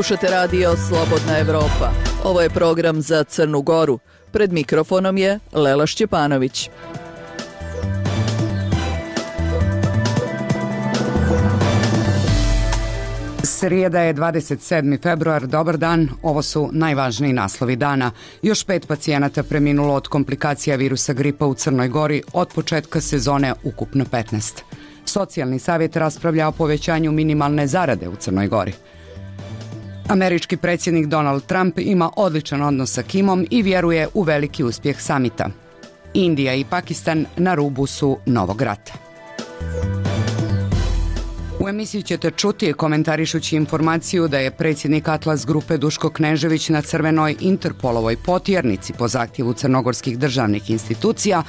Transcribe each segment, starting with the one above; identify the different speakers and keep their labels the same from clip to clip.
Speaker 1: Slušate radio Slobodna Evropa. Ovo je program za Crnu Goru. Pred mikrofonom je Lela Šćepanović.
Speaker 2: Srijeda je 27. februar, dobar dan, ovo su najvažniji naslovi dana. Još 5 pacijenata preminulo od komplikacija virusa gripa u Crnoj Gori, od početka sezone ukupno 15. Socijalni savjet raspravlja o povećanju minimalne zarade u Crnoj Gori. Američki predsjednik Donald Trump ima odličan odnos sa Kimom i vjeruje u veliki uspjeh samita. Indija i Pakistan na rubu su novog rata. U emisiji ćete čuti komentarišući informaciju da je predsjednik Atlas grupe Duško Knežević na crvenoj Interpolovoj potjernici po zahtjevu crnogorskih državnih institucija,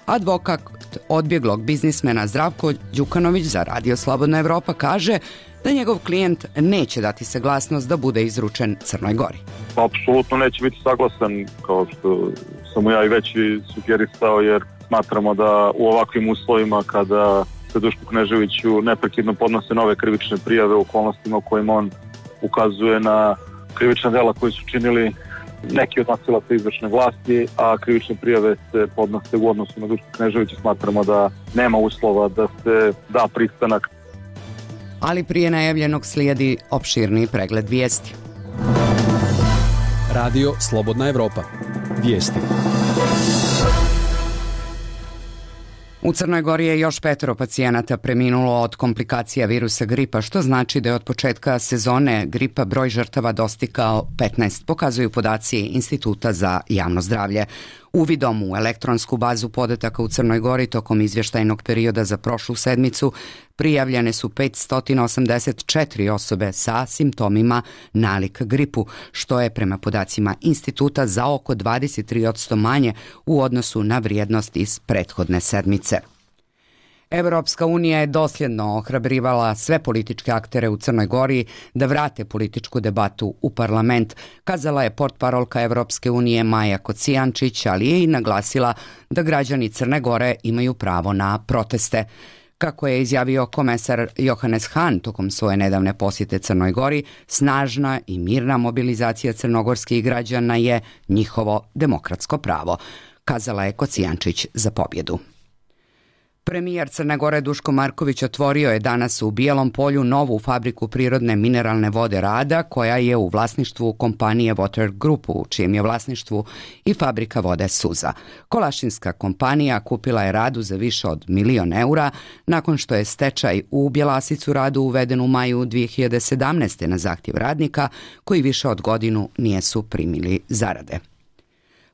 Speaker 2: advokat odbjeglog biznismena Zdravko Đukanović za Radio Slobodna Evropa kaže da njegov klijent neće dati saglasnost da bude izručen Crnoj Gori.
Speaker 3: Apsolutno neće biti saglasan, kao što sam mu ja i već sugerisao, jer smatramo da u ovakvim uslovima kada se Dušku Kneževiću neprekidno podnose nove krivične prijave u okolnostima u kojima on ukazuje na krivična dela koji su činili neki od nosilaca izvršne vlasti, a krivične prijave se podnose u odnosu na Dušku Kneževića. Smatramo da nema uslova da se da pristanak.
Speaker 2: Ali prije najavljenog slijedi opširniji pregled vijesti.
Speaker 4: Radio Slobodna Evropa. Vijesti.
Speaker 2: U Crnoj Gori je još 5 pacijenata preminulo od komplikacija virusa gripa, što znači da je od početka sezone gripa broj žrtava dostigao 15, pokazuju podaci Instituta za javno zdravlje. Uvidom u elektronsku bazu podataka u Crnoj Gori tokom izvještajnog perioda za prošlu sedmicu prijavljene su 584 osobe sa simptomima nalik gripu, što je prema podacima instituta za oko 23% manje u odnosu na vrijednost iz prethodne sedmice. Europska unija je dosljedno ohrabrivala sve političke aktere u Crnoj Gori da vrate političku debatu u parlament, kazala je portparolka Europske unije Maja Kocijančić, ali je i naglasila da građani Crne Gore imaju pravo na proteste. Kako je izjavio komesar Johannes Hahn tokom svoje nedavne posjete Crnoj Gori, snažna i mirna mobilizacija crnogorskih građana je njihovo demokratsko pravo, kazala je Kocijančić za pobjedu. Premijer Crne Gore Duško Marković otvorio je danas u Bijelom Polju novu fabriku prirodne mineralne vode Rada, koja je u vlasništvu kompanije Water Group, u čijem je vlasništvu i fabrika vode Suza. Kolašinska kompanija kupila je Radu za više od 1 milion eura nakon što je stečaj u Bjelasicu Radu uveden u maju 2017. na zahtjev radnika koji više od godinu nisu primili zarade.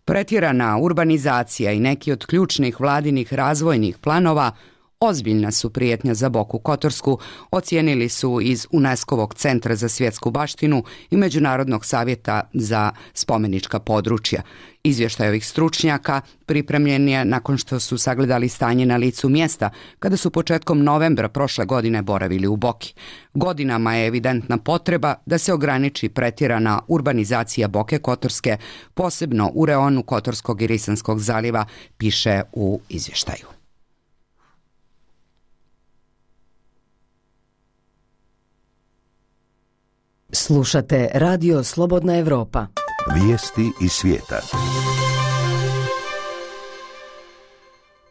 Speaker 2: Pretjerana urbanizacija i neki od ključnih vladinih razvojnih planova ozbiljna su prijetnja za Boku Kotorsku, ocijenili su iz UNESCO-vog centra za svjetsku baštinu i Međunarodnog savjeta za spomenička područja. Izvještaj ovih stručnjaka pripremljen je nakon što su sagledali stanje na licu mjesta kada su početkom novembra prošle godine boravili u Boki. Godinama je evidentna potreba da se ograniči pretjerana urbanizacija Boke Kotorske, posebno u reonu Kotorskog i Risanskog zaliva, piše u izvještaju.
Speaker 5: Slušate Radio Slobodna Evropa.
Speaker 6: Vijesti iz svijeta.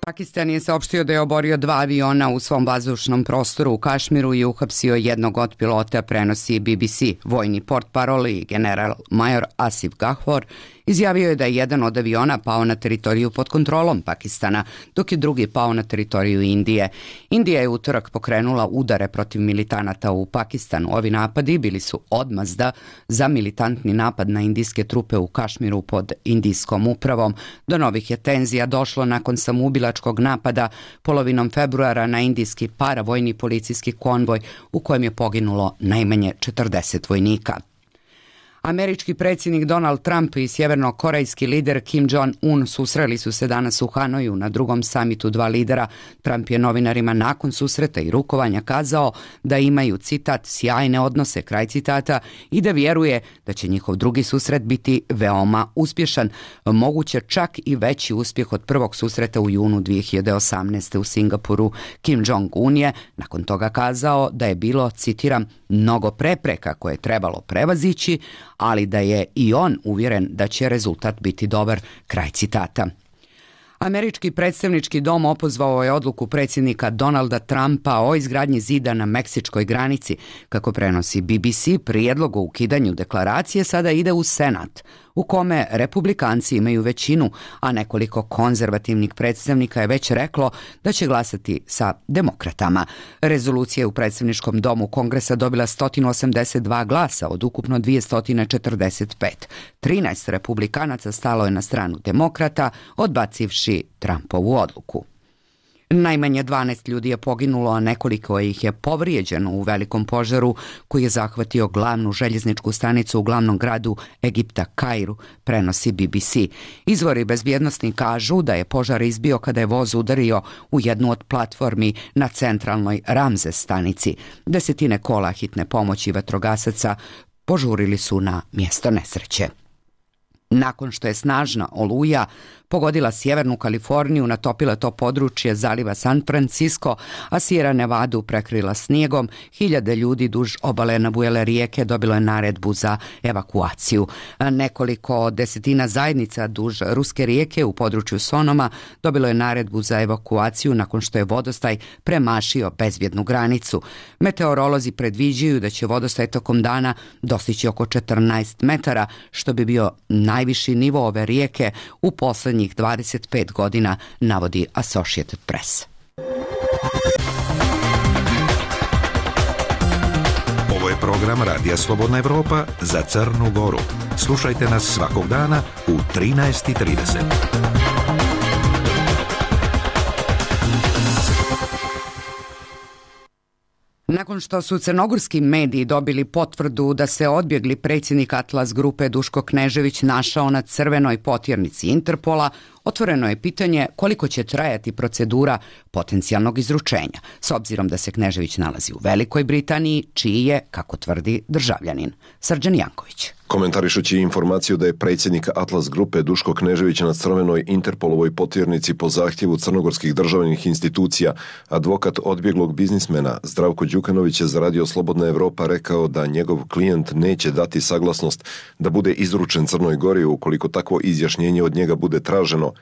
Speaker 2: Pakistan je saopštio da je oborio 2 aviona u svom vazdušnom prostoru u Kašmiru i uhapsio jednog od pilota, prenosi BBC. Vojni portparol i general major Asif Gahor izjavio je da je jedan od aviona pao na teritoriju pod kontrolom Pakistana, dok je drugi pao na teritoriju Indije. Indija je utorak pokrenula udare protiv militanata u Pakistanu. Ovi napadi bili su odmazda za militantni napad na indijske trupe u Kašmiru pod indijskom upravom. Do novih je tenzija došlo nakon samoubilačkog napada polovinom februara na indijski paravojni policijski konvoj u kojem je poginulo najmanje 40 vojnika. Američki predsjednik Donald Trump i sjevernokorejski lider Kim Jong-un susreli su se danas u Hanoju na drugom samitu dva lidera. Trump je novinarima nakon susreta i rukovanja kazao da imaju, citat, sjajne odnose, kraj citata, i da vjeruje da će njihov drugi susret biti veoma uspješan, moguće čak i veći uspjeh od prvog susreta u junu 2018. u Singapuru. Kim Jong-un je nakon toga kazao da je bilo, citiram, mnogo prepreka koje je trebalo prevazići, ali da je i on uvjeren da će rezultat biti dobar, kraj citata. Američki predstavnički dom opozvao je odluku predsjednika Donalda Trumpa o izgradnji zida na meksičkoj granici. Kako prenosi BBC, prijedlog o ukidanju deklaracije sada ide u Senat, u kome republikanci imaju većinu, a nekoliko konzervativnih predstavnika je već reklo da će glasati sa demokratama. Rezolucija je u predstavničkom domu Kongresa dobila 182 glasa od ukupno 245. 13 republikanaca stalo je na stranu demokrata, odbacivši Trumpovu odluku. Najmanje 12 ljudi je poginulo, a nekoliko ih je povrijeđeno u velikom požaru koji je zahvatio glavnu željezničku stanicu u glavnom gradu Egipta, Kairu, prenosi BBC. Izvori bezbjednosni kažu da je požar izbio kada je voz udario u jednu od platformi na centralnoj Ramzes stanici. Desetine kola hitne pomoći vatrogasaca požurili su na mjesto nesreće. Nakon što je snažna oluja pogodila sjevernu Kaliforniju, natopila to područje zaliva San Francisco, a Sierra Nevadu prekrila snijegom, hiljade ljudi duž obale nabujele rijeke dobilo je naredbu za evakuaciju. Nekoliko desetina zajednica duž Ruske rijeke u području Sonoma dobilo je naredbu za evakuaciju nakon što je vodostaj premašio bezbjednu granicu. Meteorolozi predviđaju da će vodostaj tokom dana dostići oko 14 metara, što bi bio najviši nivo ove rijeke u posljednjih 25 godina, navodi Associated Press.
Speaker 6: Ovo je program Radija Slobodna Evropa za Crnu Goru. Slušajte nas svakog dana u 13:30.
Speaker 2: Nakon što su crnogorski mediji dobili potvrdu da se odbjegli predsjednik Atlas grupe Duško Knežević našao na crvenoj potjernici Interpola, otvoreno je pitanje koliko će trajati procedura potencijalnog izručenja, s obzirom da se Knežević nalazi u Velikoj Britaniji, čiji je, kako tvrdi, državljanin. Srđan Janković.
Speaker 7: Komentarišući informaciju da je predsjednik Atlas grupe Duško Knežević na crvenoj Interpolovoj potjernici po zahtjevu crnogorskih državnih institucija, advokat odbjeglog biznismena Zdravko Đukanović je za Radio Slobodna Evropa rekao da njegov klijent neće dati saglasnost da bude izručen Crnoj Gori ukoliko takvo izjašnjenje od njega bude traženo.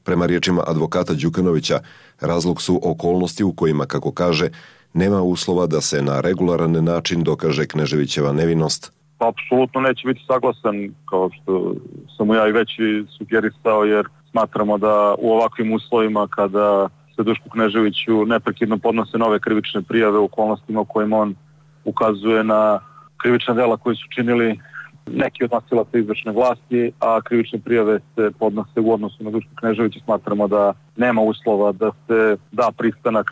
Speaker 7: Prema riječima advokata Đukanovića, razlog su okolnosti u kojima, kako kaže, nema uslova da se na regularan način dokaže Kneževićeva nevinost.
Speaker 3: Apsolutno neće biti saglasan, kao što sam ja i već sugerisao, jer smatramo da u ovakvim uslovima kada se Dušku Kneževiću neprekidno podnose nove krivične prijave u okolnostima u kojima on ukazuje na krivična dela koji su činili neki od nosilaca izvršne vlasti, a krivične prijave se podnose u odnosu na Dušku Kneževića, smatramo da nema uslova da se da pristanak,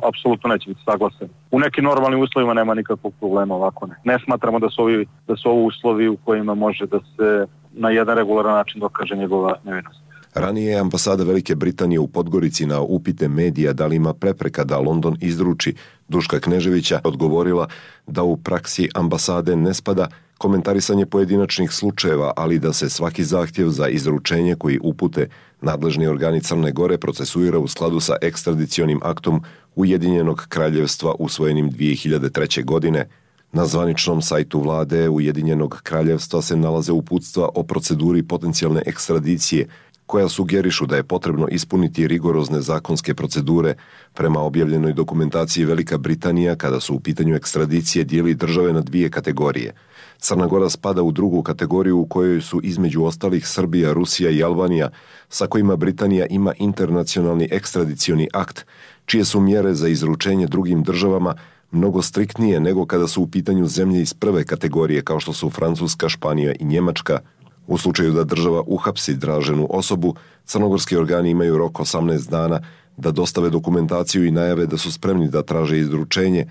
Speaker 3: apsolutno neće biti saglasan. U nekim normalnim uslovima nema nikakvog problema, ovako ne. Ne smatramo da su ovo uslovi u kojima može da se na jedan regularan način dokaže njegova nevinost.
Speaker 7: Ranije je ambasada Velike Britanije u Podgorici na upite medija da li ima prepreka da London izruči Duška Kneževića odgovorila da u praksi ambasade ne spada komentarisanje pojedinačnih slučajeva, ali da se svaki zahtjev za izručenje koji upute nadležni organi Crne Gore procesuira u skladu sa ekstradicionim aktom Ujedinjenog kraljevstva usvojenim 2003. godine. Na zvaničnom sajtu vlade Ujedinjenog kraljevstva se nalaze uputstva o proceduri potencijalne ekstradicije, koja sugerišu da je potrebno ispuniti rigorozne zakonske procedure. Prema objavljenoj dokumentaciji, Velika Britanija, kada su u pitanju ekstradicije, dijeli države na dvije kategorije. Crna Gora spada u drugu kategoriju u kojoj su između ostalih Srbija, Rusija i Albanija, sa kojima Britanija ima internacionalni ekstradicioni akt, čije su mjere za izručenje drugim državama mnogo striktnije nego kada su u pitanju zemlje iz prve kategorije kao što su Francuska, Španija i Njemačka. U slučaju da država uhapsi traženu osobu, crnogorski organi imaju rok 18 dana da dostave dokumentaciju i najave da su spremni da traže izručenje,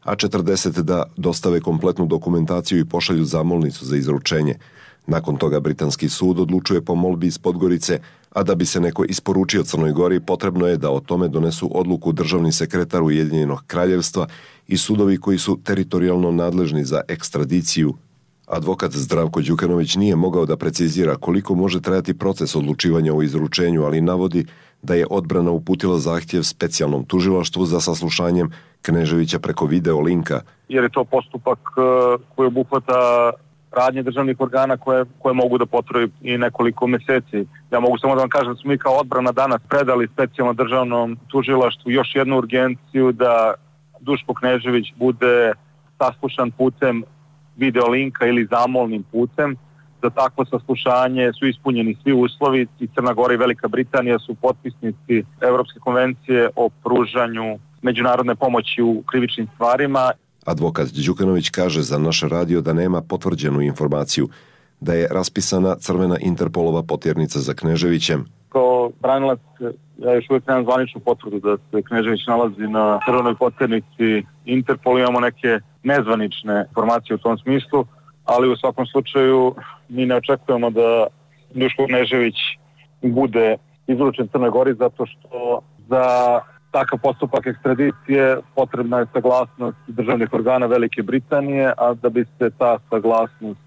Speaker 7: a 40 da dostave kompletnu dokumentaciju i pošalju zamolnicu za izručenje. Nakon toga britanski sud odlučuje po molbi iz Podgorice, a da bi se neko isporučio Crnoj Gori, potrebno je da o tome donesu odluku državni sekretar Ujedinjenog kraljevstva i sudovi koji su teritorijalno nadležni za ekstradiciju. Advokat Zdravko Đukanović nije mogao da precizira koliko može trajati proces odlučivanja o izručenju, ali navodi da je odbrana uputila zahtjev specijalnom tužilaštvu za saslušanjem Kneževića preko video linka.
Speaker 3: Jer je to postupak koji obuhvata radnje državnih organa koje mogu da potraju i nekoliko meseci. Ja mogu samo da vam kažem da smo mi kao odbrana danas predali specijalno državnom tužilaštvu još jednu urgenciju da Duško Knežević bude saslušan putem video linka ili zamolnim putem. Za takvo saslušanje su ispunjeni svi uslovi i Crna Gora i Velika Britanija su potpisnici Evropske konvencije o pružanju međunarodne pomoći u krivičnim stvarima.
Speaker 7: Advokat Đukanović kaže za naš radio da nema potvrđenu informaciju da je raspisana crvena Interpolova potjernica za Kneževićem.
Speaker 3: Kao branilac, ja još uvijek nemam zvaničnu potvrdu da se Knežević nalazi na crvenoj potjernici Interpol. Imamo neke nezvanične informacije u tom smislu, ali u svakom slučaju mi ne očekujemo da Duško Knežević bude izručen Crnoj Gori zato što za takav postupak ekstradicije potrebna je saglasnost državnih organa Velike Britanije, a da bi se ta saglasnost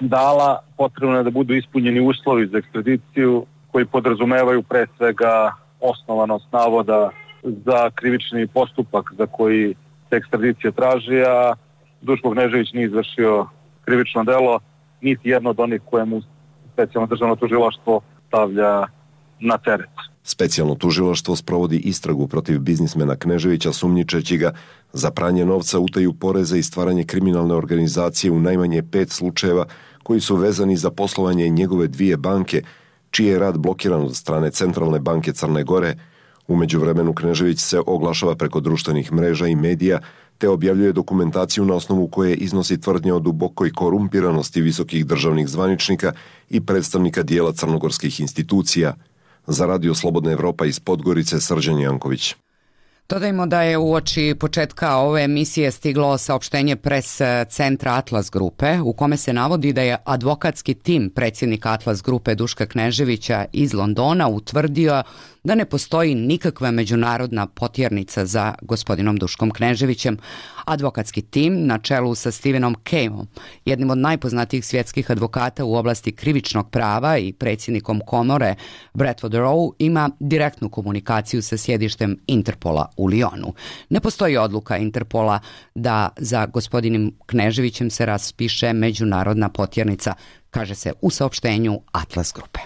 Speaker 3: dala, potrebno je da budu ispunjeni uslovi za ekstradiciju koji podrazumevaju pre svega osnovanost navoda za krivični postupak za koji se ekstradicija traži, a Duško Knežević nije izvršio krivično delo, niti jedno od onih koje mu specijalno državno tužilaštvo stavlja na teret.
Speaker 7: Specijalno tužilaštvo sprovodi istragu protiv biznismena Kneževića sumnjičeći ga za pranje novca, utaju poreza i stvaranje kriminalne organizacije u najmanje 5 slučajeva koji su vezani za poslovanje njegove 2 banke, čiji je rad blokiran od strane Centralne banke Crne Gore. U međuvremenu Knežević se oglašava preko društvenih mreža i medija te objavljuje dokumentaciju na osnovu koje iznosi tvrdnje o dubokoj korumpiranosti visokih državnih zvaničnika i predstavnika dijela crnogorskih institucija. Za Radio Slobodna Evropa iz Podgorice, Srđan Janković.
Speaker 2: Dodajmo da je uoči početka ove emisije stiglo saopštenje pres centra Atlas grupe u kome se navodi da je advokatski tim predsjednika Atlas grupe Duška Kneževića iz Londona utvrdio da ne postoji nikakva međunarodna potjernica za gospodinom Duškom Kneževićem. Advokatski tim na čelu sa Stevenom Kejom, jednim od najpoznatijih svjetskih advokata u oblasti krivičnog prava i predsjednikom komore Bradford Row, ima direktnu komunikaciju sa sjedištem Interpola u Lyonu. Ne postoji odluka Interpola da za gospodinom Kneževićem se raspiše međunarodna potjernica, kaže se u saopštenju Atlas grupe.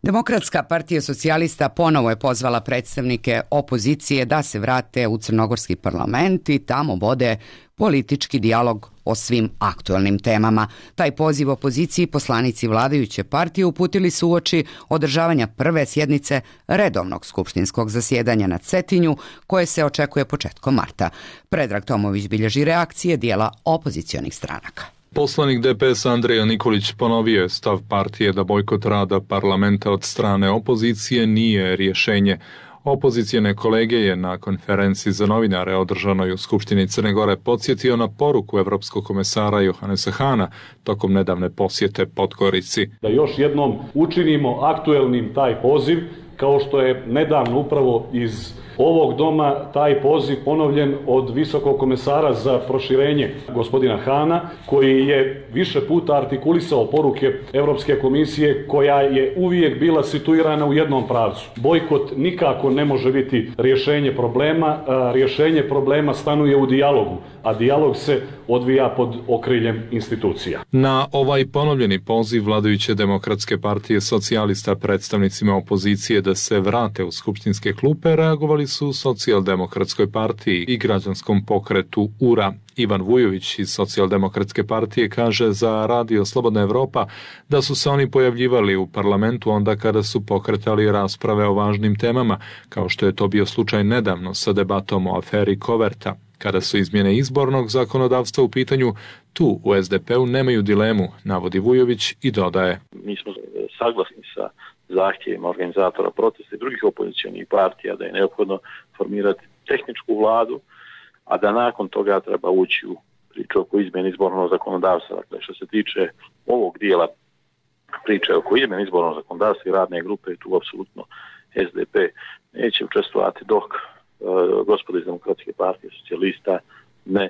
Speaker 2: Demokratska partija socijalista ponovo je pozvala predstavnike opozicije da se vrate u crnogorski parlament i tamo vode politički dijalog o svim aktualnim temama. Taj poziv opoziciji poslanici vladajuće partije uputili su uoči održavanja prve sjednice redovnog skupštinskog zasjedanja na Cetinju, koje se očekuje početkom marta. Predrag Tomović bilježi reakcije dijela opozicionih stranaka.
Speaker 8: Poslanik DPS Andreja Nikolić ponovio je stav partije da bojkot rada parlamenta od strane opozicije nije rješenje. Opozicijne kolege je na konferenciji za novinare održanoj u Skupštini Crne Gore podsjetio na poruku evropskog komesara Johannesa Hahna tokom nedavne posjete Podgorici.
Speaker 9: Da još jednom učinimo aktuelnim taj poziv, kao što je nedavno upravo iz ovog doma taj poziv ponovljen od visokog komesara za proširenje gospodina Hahna, koji je više puta artikulisao poruke Europske komisije koja je uvijek bila situirana u jednom pravcu. Bojkot nikako ne može biti rješenje problema, rješenje problema stanuje u dijalogu, a dijalog se odvija pod okriljem institucija.
Speaker 8: Na ovaj ponovljeni poziv vladajuće Demokratske partije socijalista predstavnicima opozicije da se vrate u skupštinske klupe reagovali su u Socijaldemokratskoj partiji i građanskom pokretu URA. Ivan Vujović iz Socijaldemokratske partije kaže za Radio Slobodna Evropa da su se oni pojavljivali u parlamentu onda kada su pokretali rasprave o važnim temama, kao što je to bio slučaj nedavno sa debatom o aferi Koverta. Kada su izmjene izbornog zakonodavstva u pitanju, tu u SDP-u nemaju dilemu, navodi Vujović i dodaje.
Speaker 10: Mi smo saglasni sa zahtjevima organizatora protesta i drugih opozicionih partija da je neophodno formirati tehničku vladu, a da nakon toga treba ući u priču oko izmjene izbornog zakonodavstva. Dakle, što se tiče ovog dijela priče oko izmjene izbornog zakonodavstva i radne grupe, tu apsolutno SDP neće učestvovati dok gospodo iz Demokratske partije socijalista ne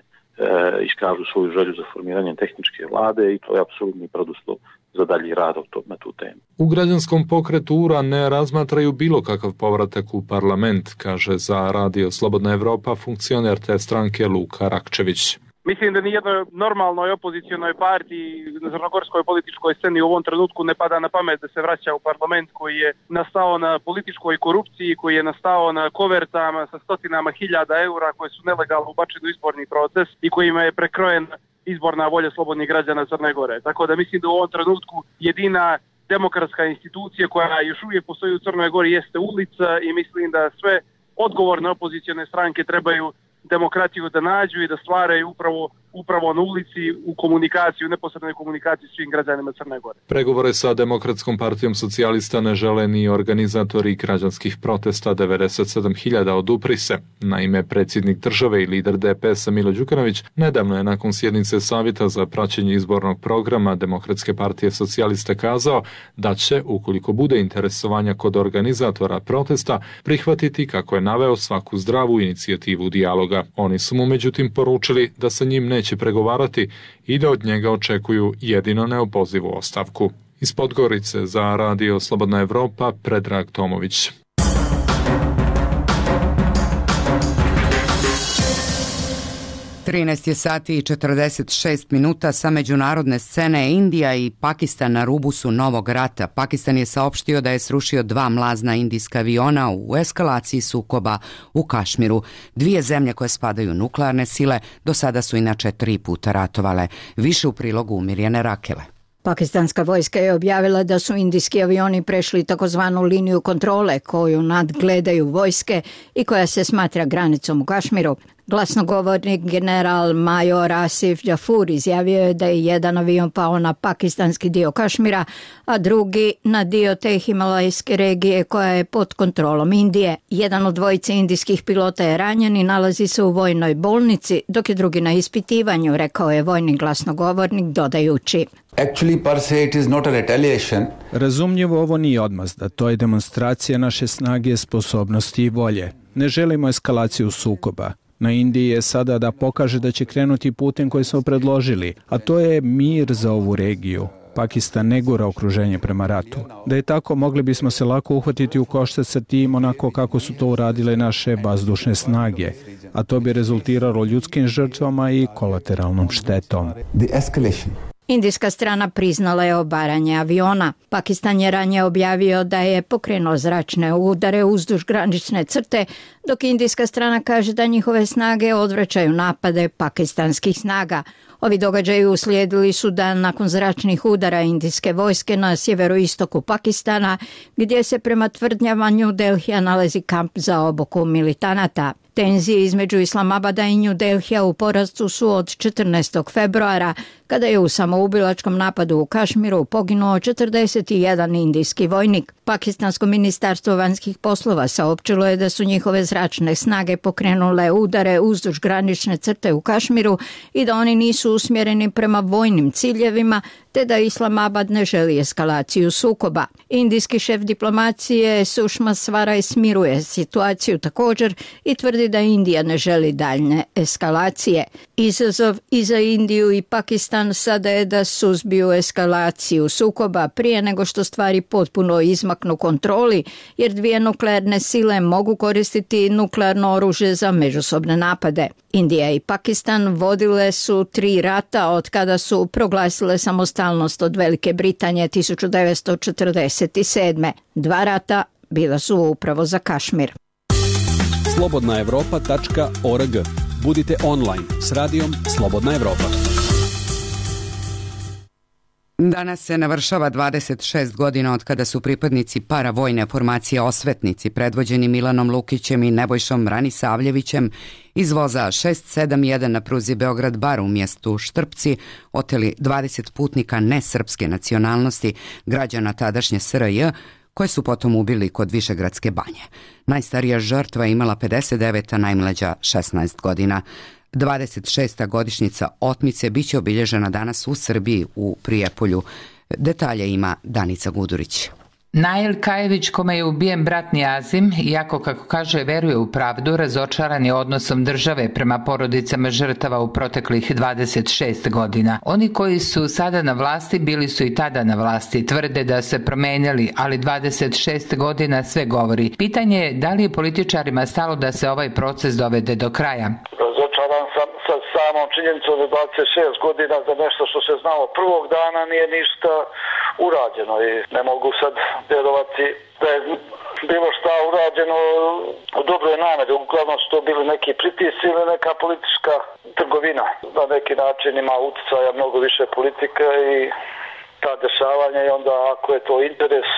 Speaker 10: iskažu svoju želju za formiranjem tehničke vlade i to je apsolutni preduslov za dalji rad na tu temu.
Speaker 8: U građanskom pokretu URA ne razmatraju bilo kakav povratak u parlament, kaže za Radio Slobodna Evropa funkcioner te stranke Luka Rakčević.
Speaker 11: Mislim da nijednoj normalnoj opozicionoj partiji na crnogorskoj političkoj sceni u ovom trenutku ne pada na pamet da se vraća u parlament koji je nastao na političkoj korupciji, koji je nastao na kovertama sa stotinama hiljada eura koje su nelegalno ubačene u izborni proces i kojima je prekrojen izborna volja slobodnih građana Crne Gore. Tako da mislim da u ovom trenutku jedina demokratska institucija koja još uvijek postoji u Crnoj Gori jeste ulica i mislim da sve odgovorne opozicione stranke trebaju demokratiju da nađu i da stvaraju upravo na ulici u komunikaciji, u neposrednoj komunikaciji s svim građanima Crne Gore.
Speaker 8: Pregovore sa Demokratskom partijom socijalista ne žele ni organizatori građanskih protesta 97.000 odupri se. Naime, predsjednik države i lider DPS-a Milo Đukanović nedavno je nakon sjednice Savjeta za praćenje izbornog programa Demokratske partije socijalista kazao da će, ukoliko bude interesovanja kod organizatora protesta, prihvatiti, kako je naveo, svaku zdravu inicijativu dijaloga. Oni su mu međutim poručili da sa njim neće pregovarati i da od njega očekuju jedino neopozivu ostavku. Iz Podgorice za Radio Slobodna Evropa, Predrag Tomović.
Speaker 2: sati i 46 minuta. Sa međunarodne scene Indija i Pakistan na rubu su novog rata. Pakistan je saopštio da je srušio 2 mlazna indijska aviona u eskalaciji sukoba u Kašmiru. 2 zemlje koje spadaju u nuklearne sile do sada su inače 3 puta ratovale. Više u prilogu Mirjane Rakele.
Speaker 12: Pakistanska vojska je objavila da su indijski avioni prešli takozvanu liniju kontrole koju nadgledaju vojske i koja se smatra granicom u Kašmiru. Glasnogovornik general major Asif Jafur izjavio je da je jedan avion pao na pakistanski dio Kašmira, a drugi na dio te himalajske regije koja je pod kontrolom Indije. Jedan od 2 indijskih pilota je ranjen i nalazi se u vojnoj bolnici, dok je drugi na ispitivanju, rekao je vojni glasnogovornik dodajući.
Speaker 13: Razumljivo, ovo nije odmazda, to je demonstracija naše snage, sposobnosti i volje. Ne želimo eskalaciju sukoba. Na Indiji je sada da pokaže da će krenuti putem koji smo predložili, a to je mir za ovu regiju. Pakistan ne gura okruženje prema ratu. Da je tako, mogli bismo se lako uhvatiti u koštac sa tim onako kako su to uradile naše vazdušne snage, a to bi rezultiralo ljudskim žrtvama i kolateralnom štetom.
Speaker 12: Indijska strana priznala je obaranje aviona. Pakistan je ranije objavio da je pokrenuo zračne udare uzduž granične crte, dok indijska strana kaže da njihove snage odvraćaju napade pakistanskih snaga. Ovi događaji uslijedili su dan nakon zračnih udara indijske vojske na sjeveroistoku Pakistana, gdje se prema tvrdnjama New Delhija nalazi kamp za obuku militanata. Tenzije između Islamabada i New Delhija u porastu su od 14. februara, kada je u samoubilačkom napadu u Kašmiru poginuo 41 indijski vojnik. Pakistansko ministarstvo vanjskih poslova saopćilo je da su njihove zračne snage pokrenule udare uzduž granične crte u Kašmiru i da oni nisu usmjereni prema vojnim ciljevima, te da Islamabad ne želi eskalaciju sukoba. Indijski šef diplomacije Sušma Svaraj smiruje situaciju također i tvrdi da Indija ne želi daljne eskalacije. Izazov i za Indiju i Pakistan sada je da suzbiju eskalaciju sukoba prije nego što stvari potpuno izmaknu kontroli, jer 2 nuklearne sile mogu koristiti nuklearno oružje za međusobne napade. Indija i Pakistan vodile su 3 rata od kada su proglasile samostalnost od Velike Britanije 1947. 2 rata bila su upravo za Kašmir.
Speaker 4: slobodnaevropa.org. Budite online s radijom Slobodna Evropa.
Speaker 2: Danas se navršava 26 godina od kada su pripadnici paravojne formacije Osvetnici, predvođeni Milanom Lukićem i Nebojšom Ranisavljevićem, iz voza 671 na pruzi Beograd-Bar u mjestu Štrpci oteli 20 putnika nesrpske nacionalnosti, građana tadašnje SRJ, koje su potom ubili kod Višegradske banje. Najstarija žrtva je imala 59, a najmlađa 16 godina. 26. godišnjica otmice biće obilježena danas u Srbiji u Prijepolju. Detalje ima Danica Gudurić.
Speaker 14: Nail Kajević, kome je ubijen brat Nijazim, iako kako kaže veruje u pravdu, razočaran je odnosom države prema porodicama žrtava u proteklih 26 godina. Oni koji su sada na vlasti bili su i tada na vlasti, tvrde da se promenili, ali 26 godina sve govori. Pitanje je da li je političarima stalo da se ovaj proces dovede do kraja.
Speaker 15: Razočaran sam sa samom činjenicom da 26 godina za nešto što se znalo prvog dana nije ništa urađeno i ne mogu sad vjerovati da je bilo šta urađeno u dobroj nameri. Uglavnom su to bili neki pritisci ili neka politička trgovina. Na neki način ima utjecaja mnogo više politika i ta dešavanja i onda ako je to interes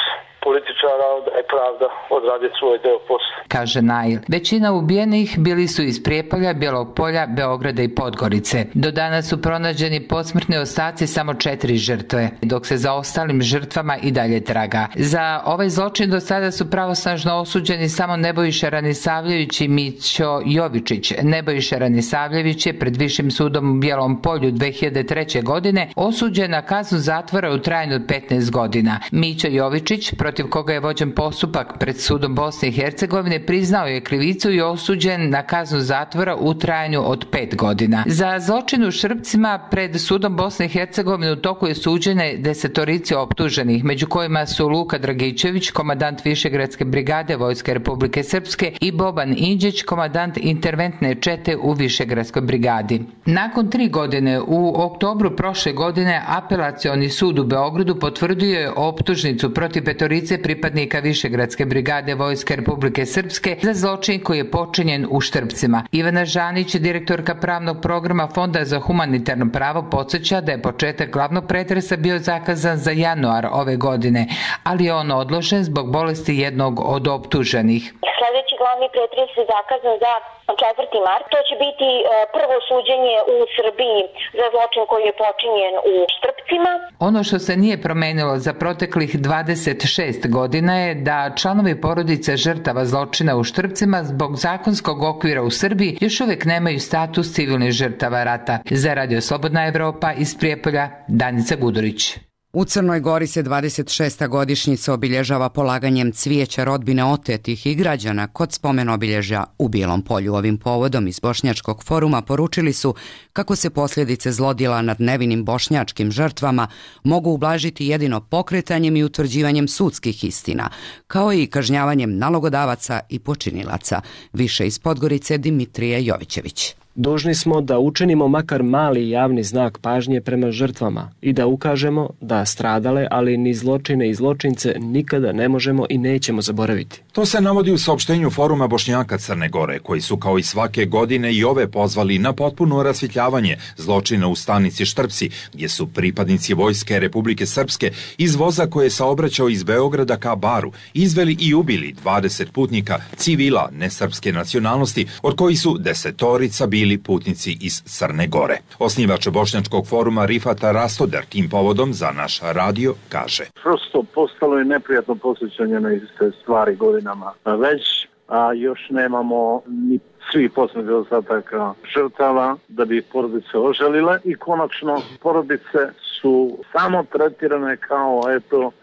Speaker 15: političara, onda je pravda odraditi svoj deo posla.
Speaker 14: Kaže Nail. Većina ubijenih bili su iz Prijepolja, Bijelog Polja, Beograda i Podgorice. Do danas su pronađeni posmrtni ostaci samo 4 žrtve, dok se za ostalim žrtvama i dalje traga. Za ovaj zločin do sada su pravosnažno osuđeni samo Nebojša Ranisavljević i Mićo Jovičić. Nebojša Ranisavljević je pred Višim sudom u Bijelom Polju 2003. godine osuđen na kaznu zatvora u trajanju od 15 godina. Mićo Jovičić, protiv koga je vođen postupak pred sudom Bosne i Hercegovine, priznao je krivicu i osuđen na kaznu zatvora u trajanju od 5 godina. Za zločin u Šrpcima pred sudom Bosne i Hercegovine u toku je suđene 10 optuženih, među kojima su Luka Dragičević, komandant Višegradske brigade Vojske Republike Srpske, i Boban Inđić, komandant interventne čete u Višegradskoj brigadi. Nakon 3 godine, u oktobru prošle godine, Apelacioni sud u Beogradu potvrdio je optužnicu protiv 5 pripadnika Višegradske brigade Vojske Republike Srpske za zločin koji je počinjen u Štrpcima. Ivana Žanić, direktorka pravnog programa Fonda za humanitarno pravo, podsjeća da je početak glavnog pretresa bio zakazan za januar ove godine, ali je on odložen zbog bolesti jednog od optuženih.
Speaker 16: Sljedeći glavni pretres je zakazan za 4. mart. To će biti prvo suđenje u Srbiji za zločin koji je počinjen u Štrpcima.
Speaker 14: Ono što se nije promenilo za proteklih 26 godina je da članovi porodice žrtava zločina u Štrpcima zbog zakonskog okvira u Srbiji još uvijek nemaju status civilnih žrtava rata. Za Radio Slobodna Evropa iz Prijepolja, Danica Gudurić.
Speaker 2: U Crnoj Gori se 26. godišnjica obilježava polaganjem cvijeća rodbine otetih i građana kod spomen obilježja u Bijelom Polju. Ovim povodom iz Bošnjačkog foruma poručili su kako se posljedice zlodjela nad nevinim bošnjačkim žrtvama mogu ublažiti jedino pokretanjem i utvrđivanjem sudskih istina, kao i kažnjavanjem nalogodavaca i počinilaca. Više iz Podgorice Dimitrije Jovićević.
Speaker 17: Dužni smo da učinimo makar mali javni znak pažnje prema žrtvama i da ukažemo da stradale, ali ni zločine i zločince nikada ne možemo i nećemo zaboraviti.
Speaker 18: To se navodi u saopštenju Foruma Bošnjaka Crne Gore, koji su kao i svake godine i ove pozvali na potpuno rasvjetljavanje zločina u stanici Štrpci, gdje su pripadnici Vojske Republike Srpske iz voza koje je saobraćao iz Beograda ka Baru izveli i ubili 20 putnika civila nesrpske nacionalnosti, od kojih su 10 bili putnici iz Crne Gore. Osnivač Bošnjačkog foruma Rifata Rastoder tim povodom za naš radio kaže:
Speaker 10: Prosto postalo je neprijatno posjećanje na iste stvari godinama već, a još nemamo ni svih posmrtnih ostataka žrtava da bi porodice ožalile i konačno porodice su samo tretirane kao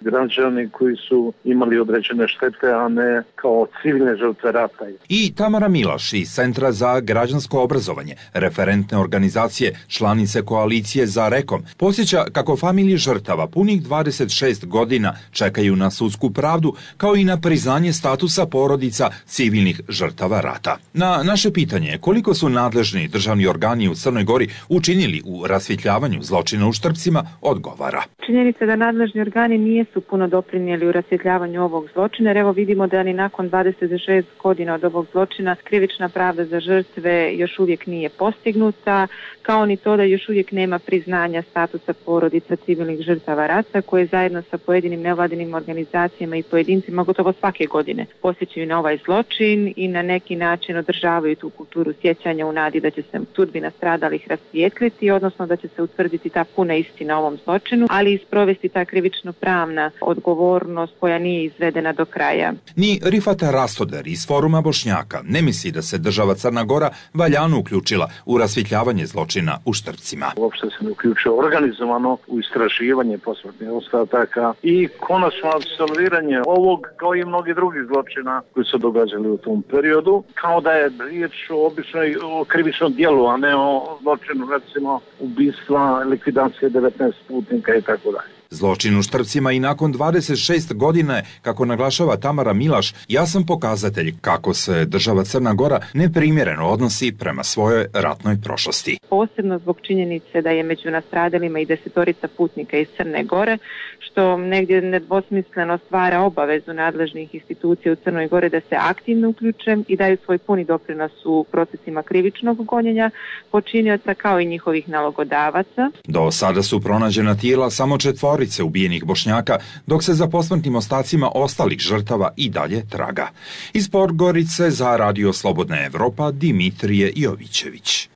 Speaker 10: građani koji su imali određene štete, a ne kao civilne žrtve rata.
Speaker 18: I Tamara Milaš iz Centra za građansko obrazovanje, referentne organizacije, članice koalicije za Rekom, posjeća kako familije žrtava punih 26 godina čekaju na sudsku pravdu, kao i na priznanje statusa porodica civilnih žrtava rata. Na naše pitanje koliko su nadležni državni organi u Crnoj Gori učinili u rasvjetljavanju zločina u Štrpcima, odgovara:
Speaker 19: Činjenica da nadležni organi nisu puno doprinijeli u rasvjetljavanju ovog zločina, jer evo vidimo da ni nakon 26 godina od ovog zločina krivična pravda za žrtve još uvijek nije postignuta, kao ni to da još uvijek nema priznanja statusa porodica civilnih žrtava rata, koje zajedno sa pojedinim nevladinim organizacijama i pojedincima gotovo svake godine posjećaju na ovaj zločin i na neki način održavaju tu kulturu sjećanja u nadi da će se sudbina stradalih rasvijetliti, odnosno da će se utvrditi ta puna istina na ovom zločinu, ali i sprovesti ta krivično-pravna odgovornost koja nije izvedena do kraja.
Speaker 18: Ni Rifat Rastoder iz Foruma Bošnjaka ne misli da se država Crna Gora valjano uključila u rasvjetljavanje zločina u Štrpcima.
Speaker 15: Uopšte se ne uključuje organizovano u istraživanje posmrtnih ostataka i konačno apsolviranje ovog kao i mnogi drugih zločina koji su događali u tom periodu, kao da je riječ o običnoj krivičnom dijelu, a ne o zločinu, recimo ubistva, likvidacije 19 putnika i tako dalje.
Speaker 18: Zločin u Štrpcima i nakon 26 godina, kako naglašava Tamara Milaš, jasan pokazatelj kako se država Crna Gora neprimjereno odnosi prema svojoj ratnoj prošlosti.
Speaker 19: Posebno zbog činjenice da je među nastradalima i 10 putnika iz Crne Gore, što negdje nedvosmisleno stvara obavezu nadležnih institucija u Crnoj Gori da se aktivno uključe i daju svoj puni doprinos u procesima krivičnog gonjenja počinioca kao i njihovih nalogodavaca.
Speaker 18: Do sada su pronađena tijela samo 4 ubijenih Bošnjaka, dok se za posmrtnim ostacima ostalih žrtava i dalje traga. Iz Podgorice za Radio Slobodna Evropa Dimitrije Jovićević.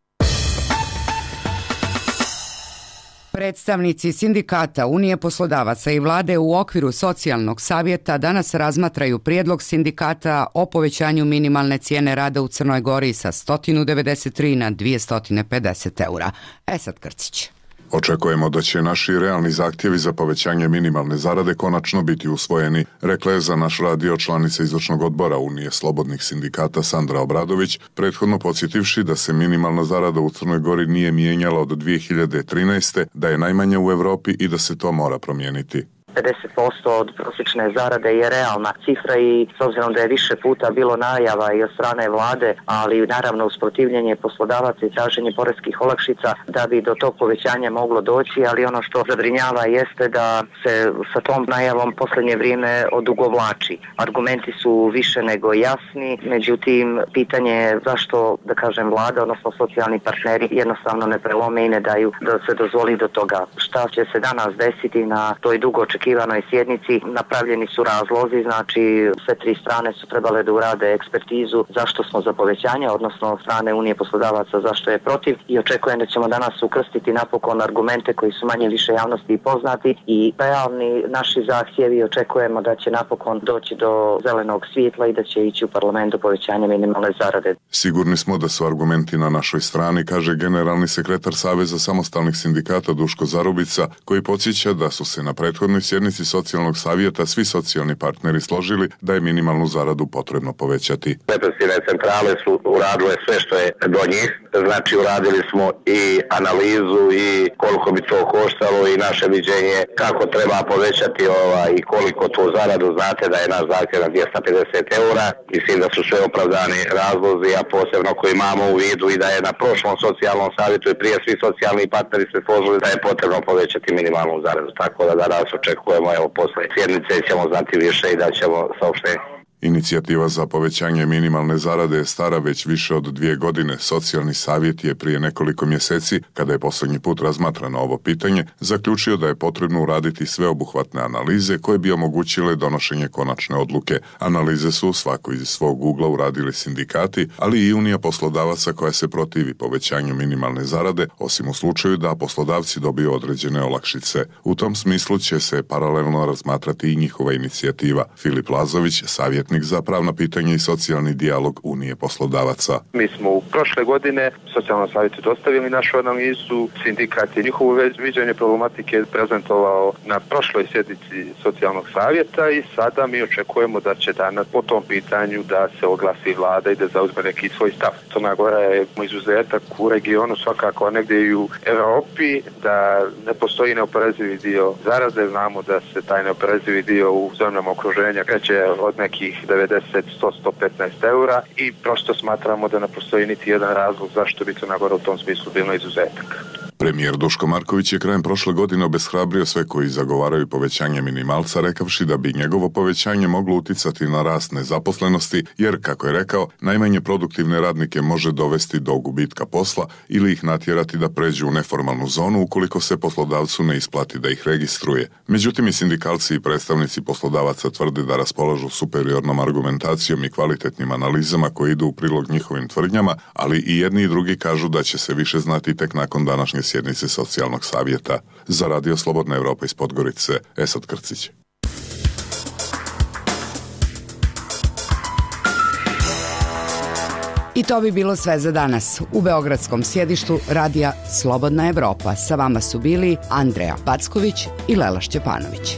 Speaker 2: Predstavnici sindikata, Unije poslodavaca i vlade u okviru socijalnog savjeta danas razmatraju prijedlog sindikata o povećanju minimalne cijene rada u Crnoj Gori sa 193 na 250 eura. Esad Krcić.
Speaker 20: Očekujemo da će naši realni zahtjevi za povećanje minimalne zarade konačno biti usvojeni, rekla je za naš radio članica izvršnog odbora Unije slobodnih sindikata Sandra Obradović, prethodno podsjetivši da se minimalna zarada u Crnoj Gori nije mijenjala od 2013. da je najmanja u Europi i da se to mora promijeniti.
Speaker 21: 50% od prosječne zarade je realna cifra i s obzirom da je više puta bilo najava i od strane vlade, ali naravno usprotivljenje poslodavaca i traženje poreskih olakšica da bi do tog povećanja moglo doći, ali ono što zabrinjava jeste da se sa tom najavom posljednje vrijeme odugovlači. Argumenti su više nego jasni, međutim pitanje je zašto, da kažem, vlada, odnosno socijalni partneri jednostavno ne prelome i ne daju da se dozvoli do toga. Šta će se danas desiti na toj dugo očekivanoj sjednici? Napravljeni su razlozi, znači sve tri strane su trebale da urade ekspertizu zašto smo za povećanje, odnosno od strane Unije poslodavaca zašto je protiv, i očekujem da ćemo danas ukrstiti napokon argumente koji su manje više javnosti i poznati i realni naši zahtjevi. Očekujemo da će napokon doći do zelenog svjetla i da će ići u parlamentu povećanje minimalne zarade.
Speaker 20: Sigurni smo da su argumenti na našoj strani, kaže generalni sekretar Saveza samostalnih sindikata Duško Zarubica, koji podsjeća da su se na prethodnoj sjednici socijalnog savjeta svi socijalni partneri složili da je minimalnu zaradu potrebno povećati.
Speaker 22: Represivne centrale su uradile sve što je do njih, znači uradili smo i analizu i koliko bi to koštalo i naše viđenje kako treba povećati i koliko tu zaradu. Znate da je naš zahtjev na 250 eura, mislim da su sve opravdani razlozi, a posebno koji imamo u vidu i da je na prošlom socijalnom savjetu i prije svi socijalni partneri se složili da je potrebno povećati minimalnu zaradu, tako da danas očekujemo, posle sjednice ćemo znati više i da ćemo saopštenje.
Speaker 20: Inicijativa za povećanje minimalne zarade je stara već više od 2 godine. Socijalni savjet je prije nekoliko mjeseci, kada je posljednji put razmatrano ovo pitanje, zaključio da je potrebno uraditi sveobuhvatne analize koje bi omogućile donošenje konačne odluke. Analize su svako iz svog ugla uradili sindikati, ali i Unija poslodavaca koja se protivi povećanju minimalne zarade, osim u slučaju da poslodavci dobiju određene olakšice. U tom smislu će se paralelno razmatrati i njihova inicijativa. Filip Lazović, savjetnik za pravna pitanja i socijalni dijalog Unije poslodavaca.
Speaker 23: Mi smo u prošle godine socijalnom savjetu dostavili našu analizu, sindikat je njihovo viđenje problematike prezentovao na prošloj sjednici socijalnog savjeta i sada mi očekujemo da će danas po tom pitanju da se oglasi vlada i da zauzme neki svoj stav. Crna Gora je izuzetak u regionu, svakako negdje i u Europi, da ne postoji neoporezivi dio zarade. Znamo da se taj neoporezivi dio u zemljama okruženja kreće od nekih 90, 100, 115 eura i prosto smatramo da ne postoji niti jedan razlog zašto bi Crna Gora u tom smislu bila izuzetak.
Speaker 20: Premijer Duško Marković je krajem prošle godine obeshrabrio sve koji zagovaraju povećanje minimalca, rekavši da bi njegovo povećanje moglo uticati na rast nezaposlenosti, jer, kako je rekao, najmanje produktivne radnike može dovesti do gubitka posla ili ih natjerati da pređu u neformalnu zonu ukoliko se poslodavcu ne isplati da ih registruje. Međutim, i sindikalci i predstavnici poslodavaca tvrde da raspolažu superiornom argumentacijom i kvalitetnim analizama koje idu u prilog njihovim tvrdnjama, ali i jedni i drugi kažu da će se više znati tek nakon današnje sjednici socijalnog savjeta. Za Radio Slobodna Evropa iz Podgorice, Esad Krcić.
Speaker 2: I to bi bilo sve za danas. U beogradskom sjedištu Radija Slobodna Evropa sa vama su bili Andreja Packović i Lela Šćepanović.